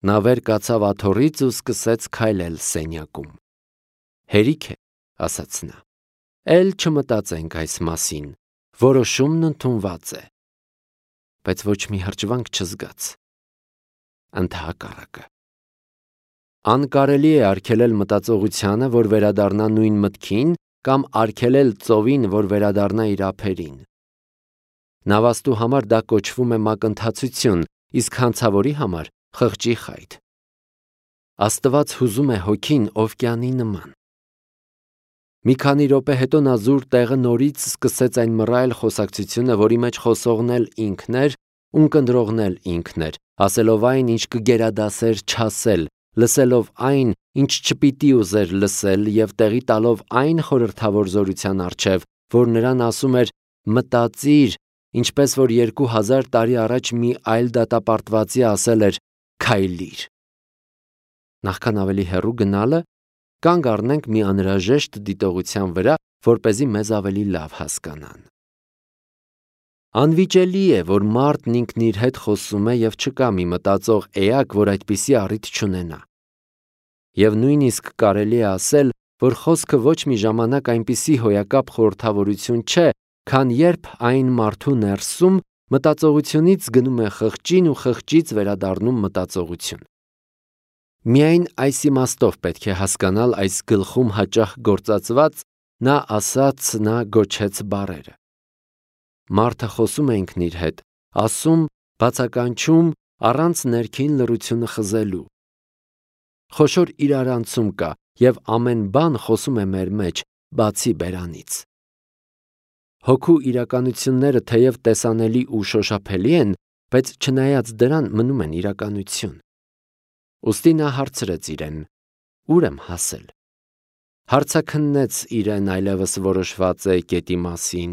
Նա վեր կացավ աթոռից ու սկսեց քայլել սենյակում։ Հերիք է, ասաց նա։ Էլ չմտածենք այս մասին, որոշումն ընդունված է։ Բայց ոչ մի հրճվանք չզգաց։ Ընդհակառակը։ Անկարելի է արգելել մտածողությանը, որ վերադառնա նույն մտքին, կամ արգելել ծովին, որ վերադառնա իր ափերին։ Նավաստու համար դա կոչվում է մակընթացություն, իսկ հանցավորի համար խղճի խայթ։ Աստված հուզում է հոգին օվկիանի նման։ Մի քանի րոպե հետո նա զուր տեղը նորից սկսեց այն մռայլ խոսակցությունը, որի մեջ խոսողն էլ ինքն էր, ունկնդրողն էլ ինքն էր, ասելով այն, ինչ կգերադասեր չասել, լսելով այն, ինչ չպիտի ուզեր լսել և տեղի տալով այն խորհրդավոր զորության առջև, որ նրան ասում էր մտածիր, ինչպես որ 2000 տարի առաջ մի այլ դատապարտվածի ասել էր քայլիր։ Նախքան ավելի հեռու գնալը, կանգ առնենք մի անհրաժեշտ դիտողության վրա, որպեսզի մեզ ավելի լավ հասկանան։ Անվիճելի է, որ մարդն ինքն իր հետ խոսում է և չկա մի մտածող էակ, որ այդպիսի առիթ չունենա։ Եվ նույնիսկ կարելի է ասել, որ խոսքը ոչ մի ժամանակ այնպիսի հոյակապ խորհրդավորություն չէ, քան երբ այն մարդու ներսում մտածողությունից գնում է խղճին ու խղճից վերադառնում մտածողություն։ Միայն այս իմաստով պետք է հասկանալ այս գլխում հաճախ գործածված նա ասաց, նա գոչեց բառերը։ Մարդը խոսում է ինքն իր հետ, ասում, բացականչում, առանց ներքին լռությունը խզելու։ Խոշոր իրարանցում կա, և ամեն բան խոսում է մեր մեջ, բացի բերանից։ Հոգու իրականությունները թեև տեսանելի ու շոշափելի են, բայց չնայած դրան մնում են իրականություն։ Ուստի նա հարցրեց իրեն. «Ուր եմ հասել»։ Հարցաքննեց իրեն այլևս որոշված է կետի մասին։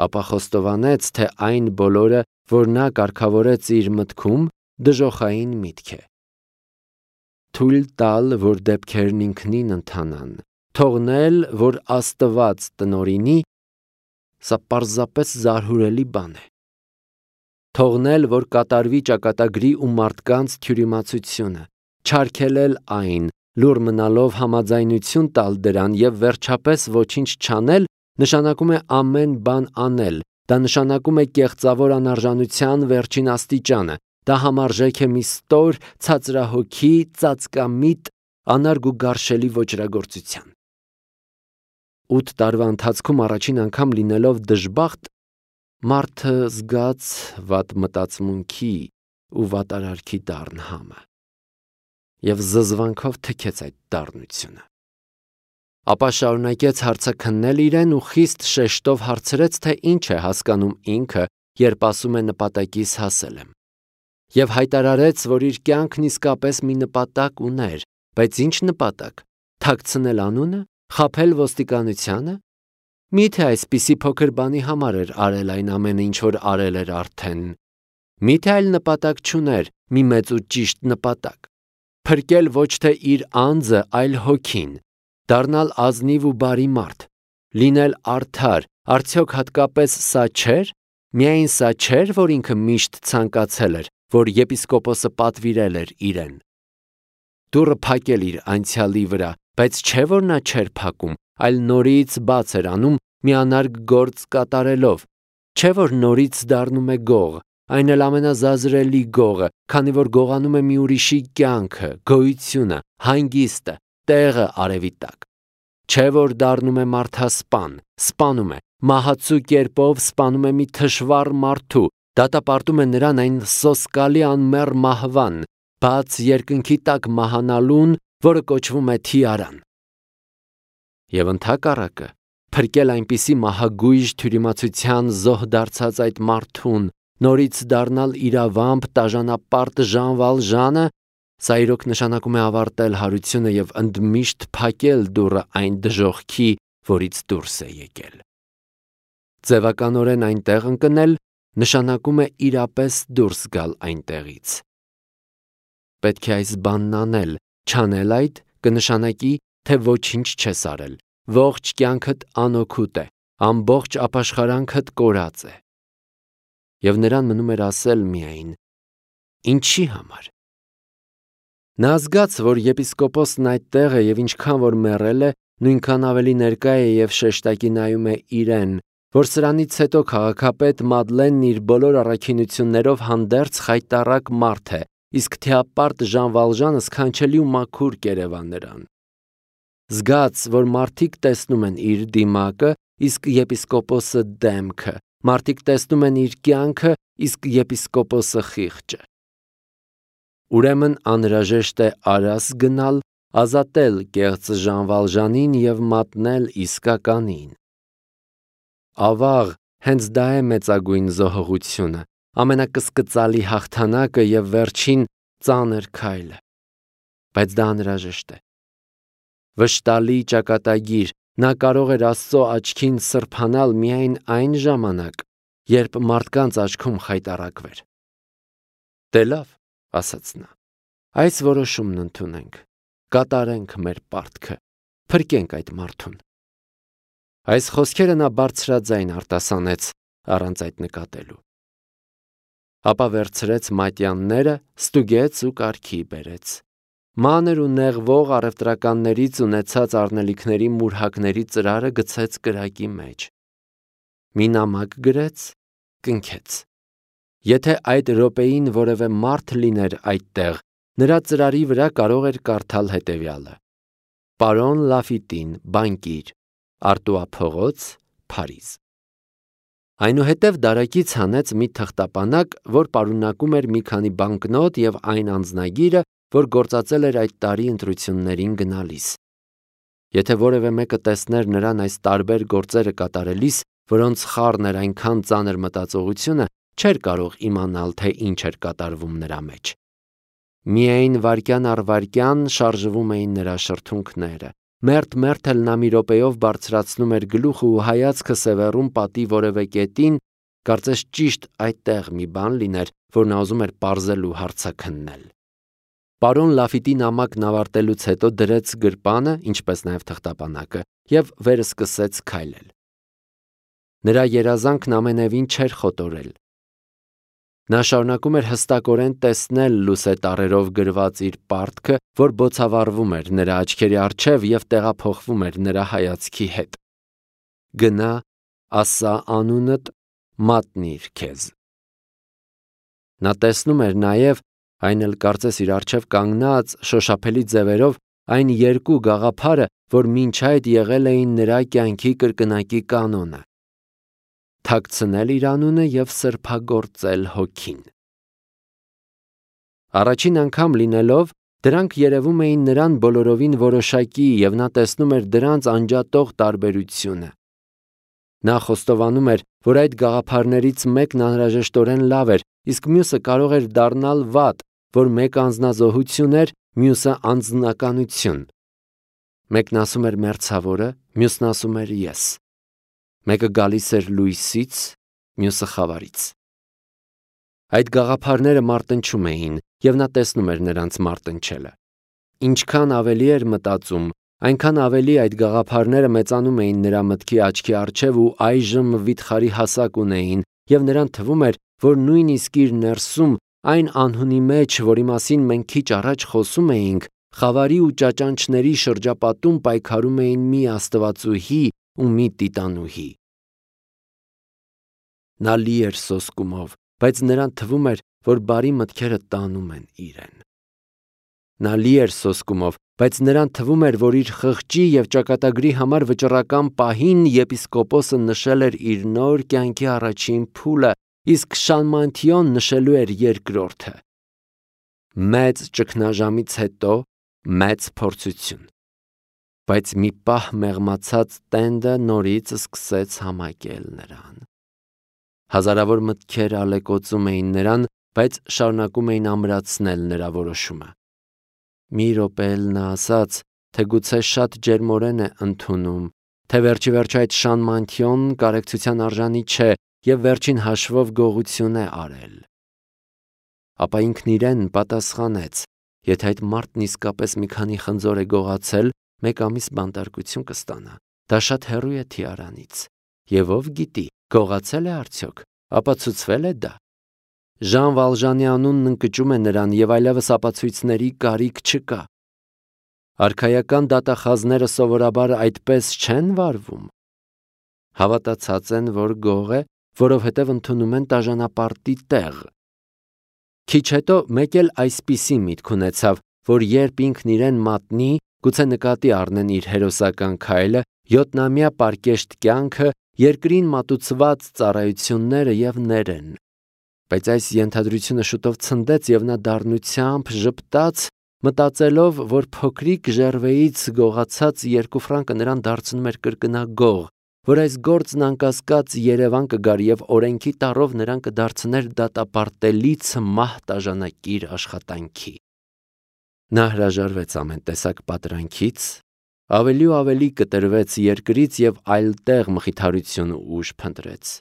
Ապա խոստովանեց, թե այն բոլորը, որ նա կարգավորեց իր մտքում, դժոխային միտք է։ Թույլ տալ, որ դեպքերն ինքնին ընթանան, թողնել, որ Աստված տնօրինի, սա պարզապես զարհուրելի բան է։ Թողնել, որ կատարվի ճակատագրի ու մարդկանց թյուրիմացությունը, չարգելել այն, լուռ մնալով համաձայնություն տալ դրան և վերջապես ոչինչ չանել, նշանակում է ամեն բան անել, դա նշանակում է կեղծավոր անարժանության վերջին աստիճանը, դա համարժեք է մի ստոր, ցածրահոգի, ծածկամիտ, անարգ ու գարշելի ոճրագործության։ 8 տարվա ընթացքում առաջին անգամ լինելով դժբախտ, մարդը զգաց վատ մտածմունքի ու վատարարքի դառն համը և զզվանքով թքեց այդ դառնությունը։ Ապա շարունակեց հարցաքննել իրեն ու խիստ շեշտով հարցրեց, թե ինչ է հասկանում ինքը, երբ ասում է նպատակիս հասել եմ։ Եվ հայտարարեց, որ իր կյանքն իսկապես մի նպատակ ուներ, բայց ինչ նպատակ։ Թաքցնել անունը, խաբել ոստիկանությանը։ Միթե այսպիսի փոքր բանի համար էր արել այն ամենը, ինչ որ արել էր արդեն։ Միթե այլ նպատակ չուներ, մի մեծ ու ճիշտ նպատակ։ Փրկել ոչ թե իր անձը, այլ հոգին, դառնալ ազնիվ ու բարի մարդ, լինել արդար, արդյոք հատկապես սա չէր։ Միայն սա չէր, որ ինքը միշտ ցանկացել էր, որ եպիսկոպոսը պատվիրել էր իրեն։ Դուռը փակել իր անցյալի վրա, բայց չէ որ նա չէր փակում, այլ նորից բաց էր անում մի անարգ գործ կատարելով։ Չէ որ նորից դառնում է գող, այն էլ ամենազազրելի գողը, քանի որ գողանում է մի ուրիշի կյանքը, գոյությունը, հանգիստը, տեղը արևի տակ։ Չէ որ դառնում է մարդասպան, սպանում է, մահացու կերպով սպանում է մի թշվառ մարդու, դատապարտում է նրան այն սոսկալի անմեռ մահվան, բաց երկնքի տակ մահանալուն, որը կոչվում է թիարան։ Եվ ընդհակառակը, փրկել այնպիսի մահագույժ թյուրիմացության զոհ դարձած այդ մարդուն, նորից դառնալ իրավամբ տաժանապարտ Ժան Վալժանը, սա իրոք նշանակում է ավարտել հարությունը և ընդմիշտ փակել դուռը այն դժոխքի, որից դուրս է եկել։ Ձևականորեն այնտեղ ընկնել նշանակում է իրապես դուրս գալ այնտեղից։ Պետք է այս բանն անել, չանել այդ կնշանակի, թե ոչինչ չես արել, ողջ կյանքդ անօգուտ է, ամբողջ ապաշխարանքդ կորած է։ Եվ նրան մնում էր ասել միայն. ինչի համար։ Նա զգաց, որ եպիսկոպոսն այդտեղ է եւ ինչքան որ մեռել է, նույնքան ավելի ներկա է եւ շեշտակի նայում է իրեն, որ սրանից հետո քաղաքապետ Մադլենն իր բոլոր առաքինություններով հանդերձ խայտառակ մարդ է, իսկ թեապարտ Ժան Վալժանը սքանչելի ու մաքուր կերևա նրան։ Զգաց, որ մարդիկ տեսնում են իր դիմակը, իսկ եպիսկոպոսը դեմքը, մարդիկ տեսնում են իր կյանքը, իսկ եպիսկոպոսը խիղճը։ Ուրեմն անհրաժեշտ է արաս գնալ, ազատել կեղծ Ժան Վալժանին եւ մատնել իսկականին։ Ավաղ, հենց դա է մեծագույն զոհողությունը, ամենակսկծալի հաղթանակը եւ վերջին ծանր քայլը։ Բայց դա անհրաժեշտ է։ Վշտալի ճակատագիր, նա կարող էր Աստծո աչքին սրբանալ միայն այն ժամանակ, երբ մարդկանց աչքում խայտառակվեր։ Դե լավ, ասաց նա, այս որոշումն ընդունենք, կատարենք մեր պարտքը, փրկենք այդ մարդուն։ Այս խոսքերը նա բարձրաձայն արտասանեց առանց այդ նկատելու։ Ապա վերցրեց մատյանները, ստուգեց ու կարգի բերեց։ Մանր ու նեղվող առևտրականներից ունեցած առնելիքների մուրհակների ծրարը գցեց կրակի մեջ։ Մի նամակ գրեց, կնքեց։ Եթե այդ րոպեին որևէ մարդ լիներ այդտեղ, նրա ծրարի վրա կարող էր կարդալ հետևյալը. Պարոն Լաֆիտին, բանկիր, Արտուա փողոց, Փարիզ։ Այնուհետև դարակից հանեց մի թղթապանակ, որ պարունակում էր մի քանի բանկնոտ եւ այն անձնագիրը, որ գործածել էր այդ տարի ընտրություններին գնալիս։ Եթե որևէ մեկը տեսներ նրան այս տարբեր գործերը կատարելիս, որոնց խառն էր այնքան ծանր մտածողությունը, չէր կարող իմանալ, թե ինչ էր կատարվում նրա մեջ։ Միայն վայրկյան առ վայրկյան շարժվում էին նրա շրթունքները։ Մերթ էլ նա մի րոպեով բարձրացնում էր գլուխը ու հայացքը սևեռում պատի որևէ կետին, կարծես ճիշտ այդտեղ մի բան լիներ, որ նա ուզում էր պարզել ու հարցաքննել։ Պարոն Լաֆիտի նամակն ավարտելուց հետո դրեց գրպանը, ինչպես նաև թղթապանակը, եւ վերը սկսեց քայլել։ Նրա երազանքն ամենևին չէր խոտորել։ Նա շարունակում էր հստակորեն տեսնել լուսե տառերով գրված իր պարտքը, որ բոցավառվում էր նրա աչքերի առջև եւ տեղափոխվում էր նրա հայացքի հետ։ Գնա, ասա անունդ, մատնիր քեզ։ Նա տեսնում էր նաև, այն էլ կարծես իր առջև կանգնած շոշափելի ձևերով, այն երկու գաղափարը, որ մինչ այդ եղել էին նրա կյանքի կրկնակի կանոնը։ Թաքցնել իր անունը եւ սրբագործել հոգին։ Առաջին անգամ լինելով, դրանք երևում էին նրան բոլորովին որոշակի եւ նա տեսնում էր դրանց անջատող տարբերությունը։ Նա խոստովանում էր, որ այդ գաղափարներից մեկն անհրաժեշտորեն լավ էր, իսկ մյուսը կարող էր դառնալ վատ, որ մեկը անձնազոհություն էր, մյուսը անձնականություն։ Մեկն ասում էր մերձավորը, մյուսն ասում էր ես։ Մեկը գալիս էր լույսից, մյուսը խավարից։ Այդ գաղափարները մարտնչում էին, եւ նա տեսնում էր նրանց մարտնչելը։ Ինչքան ավելի էր մտածում, այնքան ավելի այդ գաղափարները մեծանում էին նրա մտքի աչքի առջև ու այժմ վիթխարի հասակ ունեին, եւ նրան թվում էր, որ նույնիսկ իր ներսում, այն անհունի մեջ, որի մասին մենք քիչ առաջ խոսում էինք, խավարի ու ճաճանչների շրջապատում պայքարում էին մի աստվածուհի ու մի տիտանուհի։ Նա լի էր սոսկումով, բայց նրան թվում էր, որ բարի մտքերը տանում են իրեն։ Նա լի էր սոսկումով, բայց նրան թվում էր, որ իր խղճի եւ ճակատագրի համար վճռական պահին եպիսկոպոսը նշել էր իր նոր կյանքի առաջին փուլը, իսկ Շալմանթիոն նշելու էր երկրորդը։ Մեծ ճգնաժամից հետո մեծ փորձություն։ Բայց մի պահ մեղմացած տենդը նորից սկսեց համակել նրան։ Հազարավոր մտքեր ալեկոծում էին նրան, բայց շարունակում էին ամրացնել նրա որոշումը։ Մի րոպե էլ նա ասաց, թե գուցե շատ ջերմորեն է ընդունում, թե վերջիվերջո այդ Շալմանթիոն կարեկցության արժանի չէ եւ վերջին հաշվով գողություն է արել։ Ապա ինքն իրեն պատասխանեց. եթե այդ մարդն իսկապես մի քանի խնձոր է գողացել, 1 ամիս բանտարկություն կստանա։ Դա շատ հեռու է թիարանից։ Եվ ով գիտի, գողացել է արդյոք, ապացուցվել է դա։ Ժան Վալժանի անունն ընկճում է նրան և այլևս ապացույցների կարիք չկա։ Արքայական դատախազները սովորաբար այդպես չեն վարվում։ Հավատացած են, որ գող է, որովհետև ընդունում են տաժանապարտի տեղ։ Քիչ հետո մեկ էլ այսպիսի միտք ունեցավ, որ երբ ինքն իրեն մատնի, գուցե նկատի առնեն իր հերոսական քայլը, 7-ամյա պարկեշտ կյանքը, երկրին մատուցված ծառայությունները և ներեն։ Բայց այս ենթադրությունը շուտով ցնդեց և նա դառնությամբ ժպտաց, մտածելով, որ փոքրիկ ժերվեից գողացած 2 ֆրանկը նրան դարձնում էր կրկնագող, որ այս գործն անկասկած Երևան կգար և օրենքի տառով նրան կդարձներ դատապարտելից մահ տաժանակիր աշխատանքի։ Նա հրաժարվեց ամեն տեսակ պատրանքից, ավելի ու ավելի կտրվեց երկրից և այլտեղ մխիթարություն ու ուժ փնտրեց։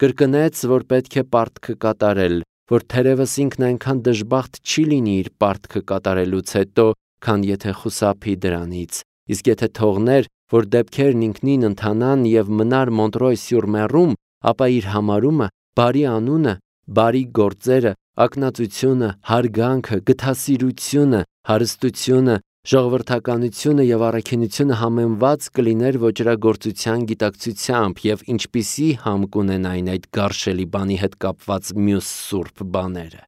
Կրկնեց, որ պետք է պարտքը կատարել, որ թերևս ինքն այնքան դժբախտ չի լինի իր պարտքը կատարելուց հետո, քան եթե խուսափի դրանից, իսկ եթե թողներ, որ դեպքերն ինքնին ընթանան և մնար Մոնտրոյ-սյուր-Մեռում, ապա իր համարումը, բարի անունը, բարի գործերը, ակնածությունը, հարգանքը, գթասիրությունը, հարստությունը, ժողովրդականությունը և առաքինությունը համեմված կլիներ ոճրագործության գիտակցությամբ և ինչպիսի համ կունենային այդ գարշելի բանի հետ կապված մյուս սուրբ բաները։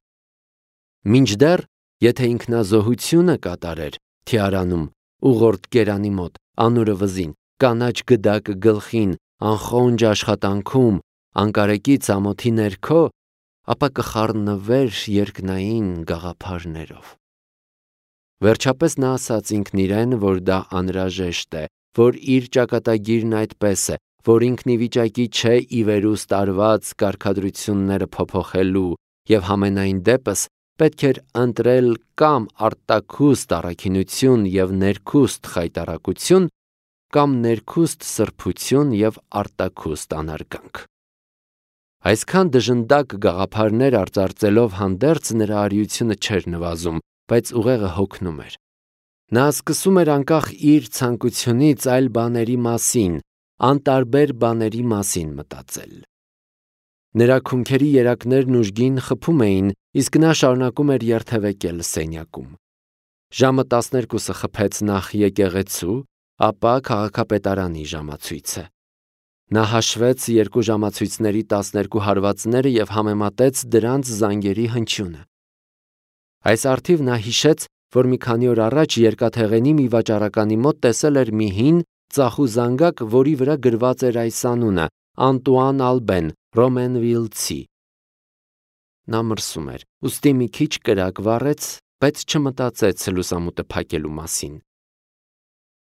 Մինչդեռ, եթե ինքնազոհությունը կատարեր Թիարանում, ուղորդ գերանի մոտ, անուրը վզին, կանաչ գդակը գլխին, անխոնջ աշխատանքում, անկարեկից ամոթի ներքո, ապա կխառնվեր երկնային գաղափարներով։ Վերջապես նա ասաց ինքն իրեն, որ դա անհրաժեշտ է, որ իր ճակատագիրն այդպես է, որ ինքն ի վիճակի չէ ի վերուստ արված կարգադրությունները փոփոխելու և համենայն դեպս պետք էր ընտրել կամ արտաքուստ առաքինություն և ներքուստ խայտառակություն, կամ ներքուստ սրբություն և արտաքուստ անարգանք։ Այսքան դժնդակ գաղափարներ արծարծելով հանդերձ նրա արիությունը չէր նվազում, բայց ուղեղը հոգնում էր։ Նա սկսում էր անկախ իր ցանկությունից այլ բաների մասին, անտարբեր բաների մասին մտածել։ Նրա քունքերի երակներն ուժգին խփում էին, իսկ նա շարունակում էր երթևեկել սենյակում։ Ժամը 12-ը խփեց նախ եկեղեցու, ապա քաղաքապետարանի ժամացույցը։ Նա հաշվեց երկու ժամացույցների 12 հարվածները և համեմատեց դրանց զանգերի հնչյունը։ Այս առթիվ նա հիշեց, որ մի քանի օր առաջ երկաթեղենի մի վաճառականի մոտ տեսել էր մի հին, ծախու զանգակ, որի վրա գրված էր այս անունը՝ Անտուան Ալբեն, Ռոմենվիլցի։ Նա մրսում էր, ուստի մի քիչ կրակ վառեց, բայց չմտածեց լուսամուտը փակելու մասին։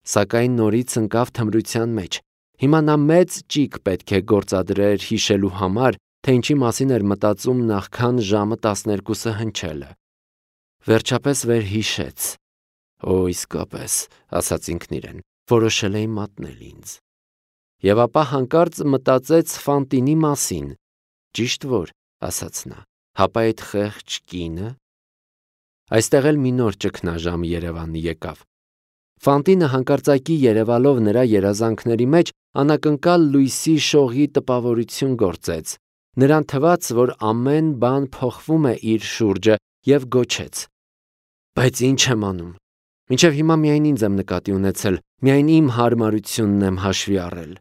Սակայն նորից ընկավ թմրության մեջ։ Հիմա նա մեծ ճիգ պետք է գործադրեր հիշելու համար, թե ինչի մասին էր մտածում նախքան ժամը 12-ը հնչելը։ Վերջապես վերհիշեց. «Օ, իսկապես», ասաց ինքն իրեն, որոշել էի մատնել ինձ։ Եվ ապա հանկարծ մտածեց Ֆանտինի մասին։ Ճիշտ որ, ասաց նա, հապա այդ խեղճ կինը։ Այստեղ էլ մի նոր ճգնաժամ Երևան եկավ։ Ֆանտինը հանկարծակի երևալով նրա երազանքների մեջ անակնկալ լույսի շողի տպավորություն գործեց։ Նրան թվաց, որ ամեն բան փոխվում է իր շուրջը և գոչեց. «Բայց ինչ եմ անում։ Մինչև հիմա միայն ինձ եմ նկատի ունեցել, միայն իմ հարմարությունն եմ հաշվի առել։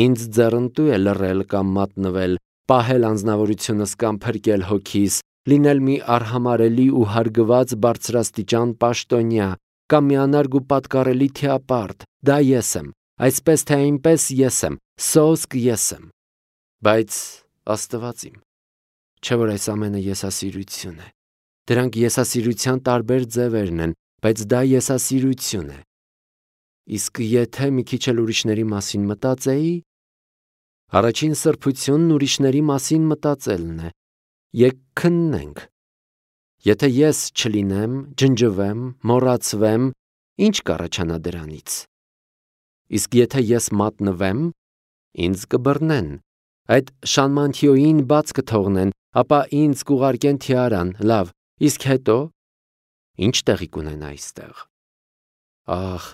Ինձ ձեռնտու է լռել կամ մատնվել, պահել անձնավորությունս կամ փրկել հոգիս, լինել մի արհամարհելի ու հարգված բարձրաստիճան պաշտոնյա, կամ մի անարգ ու պատկառելի թիապարտ, դա ես եմ, այսպես թե այնպես ես եմ, սոսկ ես եմ։ Բայց Աստված իմ, չէ՞ որ այս ամենը եսասիրություն է։ Դրանք եսասիրության տարբեր ձևերն են, բայց դա եսասիրություն է։ Իսկ եթե մի քիչ էլ ուրիշների մասին մտածեի, առաջին սրբությունն ուրիշների մասին մտածելն է։ Եկ քննենք։ Եթե ես չլինեմ, ջնջվեմ, մոռացվեմ, ի՞նչ կառաջանա դրանից։ Իսկ եթե ես մատնվեմ, ինձ կբռնեն, այդ Շանմանթիոյին բաց կթողնեն, ապա ինձ կուղարկեն Թիարան, լավ, իսկ հետո, ի՞նչ տեղի կունենա այստեղ։ Ահ,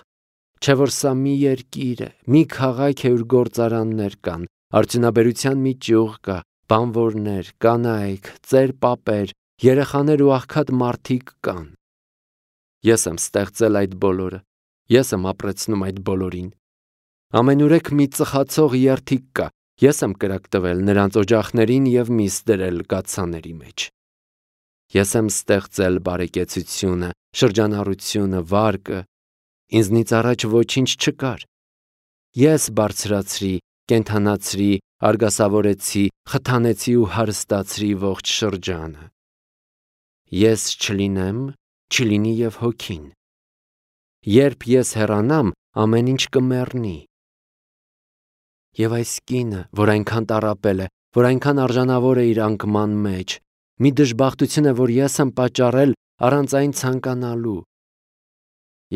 չէ որ սա մի երկիր է, մի քաղաք է, ուր գործարաններ կան, արդյունաբերության մի ճյուղ կա, Բանվորներ, կանայք, ծեր պապեր, երեխաներ ու աղքատ մարդիկ կան։ Ես եմ ստեղծել այդ բոլորը, ես եմ ապրեցնում այդ բոլորին։ Ամենուրեք մի ծխացող երթիկ կա, ես եմ կրակ տվել նրանց օջախներին և միս դրել կաթսաների մեջ։ Ես եմ ստեղծել բարեկեցությունը, շրջանառությունը, վարկը, ինձնից առաջ ոչինչ չկար։ Ես բարձրացրի, կենդանացրի, արգասավորեցի, խթանեցի ու հարստացրի ողջ շրջանը։ Ես չլինեմ, չլինի և հոգին։ Երբ ես հեռանամ, ամեն ինչ կմեռնի։ Եվ այս կինը, որ այնքան տառապել է, որ այնքան արժանավոր է իր անկման մեջ, մի դժբախտություն է, որ ես եմ պատճառել առանց այն ցանկանալու։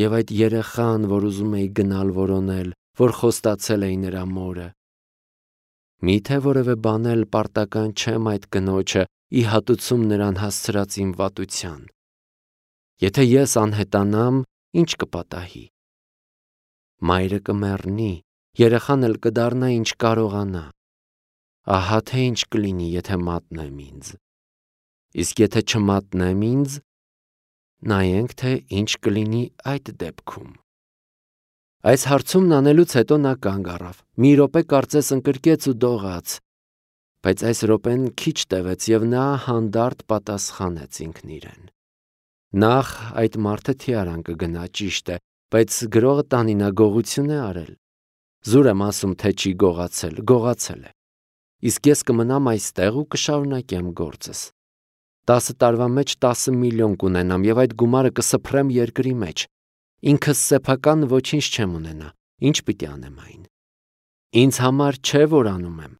Եվ այդ երեխան, որ ուզում էի գնալ որոնել, որ խոստացել էի նրա մորը։ Միթե որևէ բան էլ պարտական չեմ այդ կնոջը ի հատուցում նրան հասցրած իմ վատության։ Եթե ես անհետանամ, ինչ կպատահի։ Մայրը կմեռնի, երեխան էլ կդառնա ինչ կարողանա։ Ահա թե ինչ կլինի, եթե մատնեմ ինձ։ Իսկ եթե չմատնեմ ինձ, նայենք, թե ինչ կլինի այդ դեպքում։ Այս հարցումն անելուց հետո նա կանգ առավ, մի րոպե կարծես ընկրկեց ու դողաց, բայց այս րոպեն քիչ տևեց և նա հանդարտ պատասխանեց ինքն իրեն. Նախ այդ մարդը թիարան կգնա, ճիշտ է, բայց գրողը տանի նա գողություն է արել։ Զուր եմ ասում, թե չի գողացել, գողացել է։ Իսկ ես կմնամ այստեղ ու կշարունակեմ գործս։ 10 տարվա մեջ 10 միլիոն կունենամ և այդ գումարը կսփռեմ երկրի մեջ։ Ինքս սեփական ոչինչ չեմ ունենա, ինչ պիտի անեմ այն։ Ինձ համար չէ, որ անում եմ։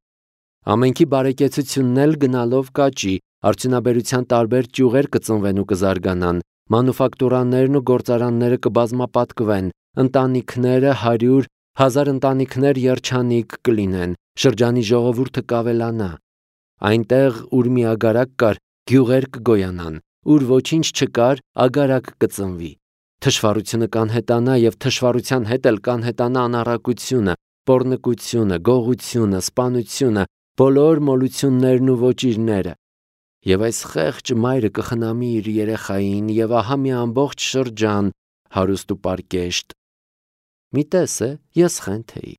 Ամենքի բարեկեցությունն էլ գնալով կաճի, արդյունաբերության տարբեր ճյուղեր կծնվեն ու կզարգանան, մանուֆակտուրաներն ու գործարանները կբազմապատկվեն, ընտանիքները 100, 1000 ընտանիքներ երջանիկ կլինեն, շրջանի ժողովուրդը կավելանա։ Այնտեղ, ուր մի ագարակ կար, գյուղեր կգոյանան, ուր ոչինչ չկար, ագարակ կծնվի։ Թշվառությունը կանհետանա և թշվառության հետ էլ կանհետանա անառակությունը, պոռնկությունը, գողությունը, սպանությունը, բոլոր մոլություններն ու ոճիրները։ Եվ այս խեղճ մայրը կխնամի իր երեխային և ահա մի ամբողջ շրջան հարուստ ու պարկեշտ։ Մի տես է, ես խենթ էի,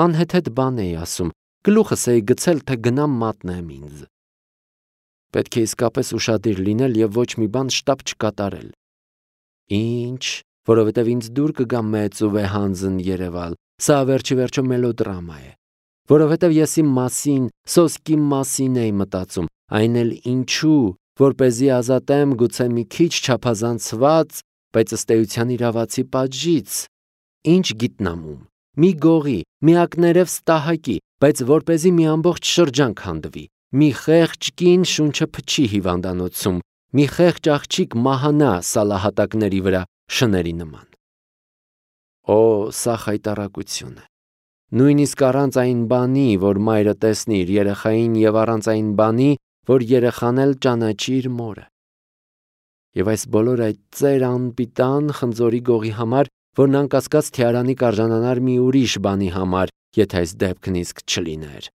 անհեթեթ բան էի ասում, գլուխս էի գցել, թե գնամ մատնեմ ինձ։ Պետք է իսկապես ուշադիր լինել և ոչ մի բան շտապ չկատարել։ Ինչ, որովհետև ինձ դուր կգա մեծ ու վեհանձն երևալ, սա վերջիվերջո մելոդրամա է։ Որովհետև ես իմ մասին, սոսկի մասին էի մտածում, այն էլ ինչու, որպեսզի ազատեմ գուցե մի քիչ չափազանցված, բայց ըստ էության իրավացի պատժից։ Ինչ գիտնամում, մի գողի, մի ակներև ստահակի, բայց որպեսզի մի ամբողջ շրջան քանդվի, մի խեղճ կին շունչը փչի հիվանդանոցում, մի խեղճ աղջիկ մահանա սալահատակների վրա շների նման։ Օ, սա խայտառակություն է։ Նույնիսկ առանց այն բանի, որ մայրը տեսնի իր երեխային և առանց այն բանի, որ երեխան էլ ճանաչի իր մորը։ Եվ այս բոլոր այդ ծեր անպիտան խնձորի գողի համար, որն անկասկած թիարանի կարժանանար մի ուրիշ բանի համար, եթե այս դեպքն իսկ չլիներ։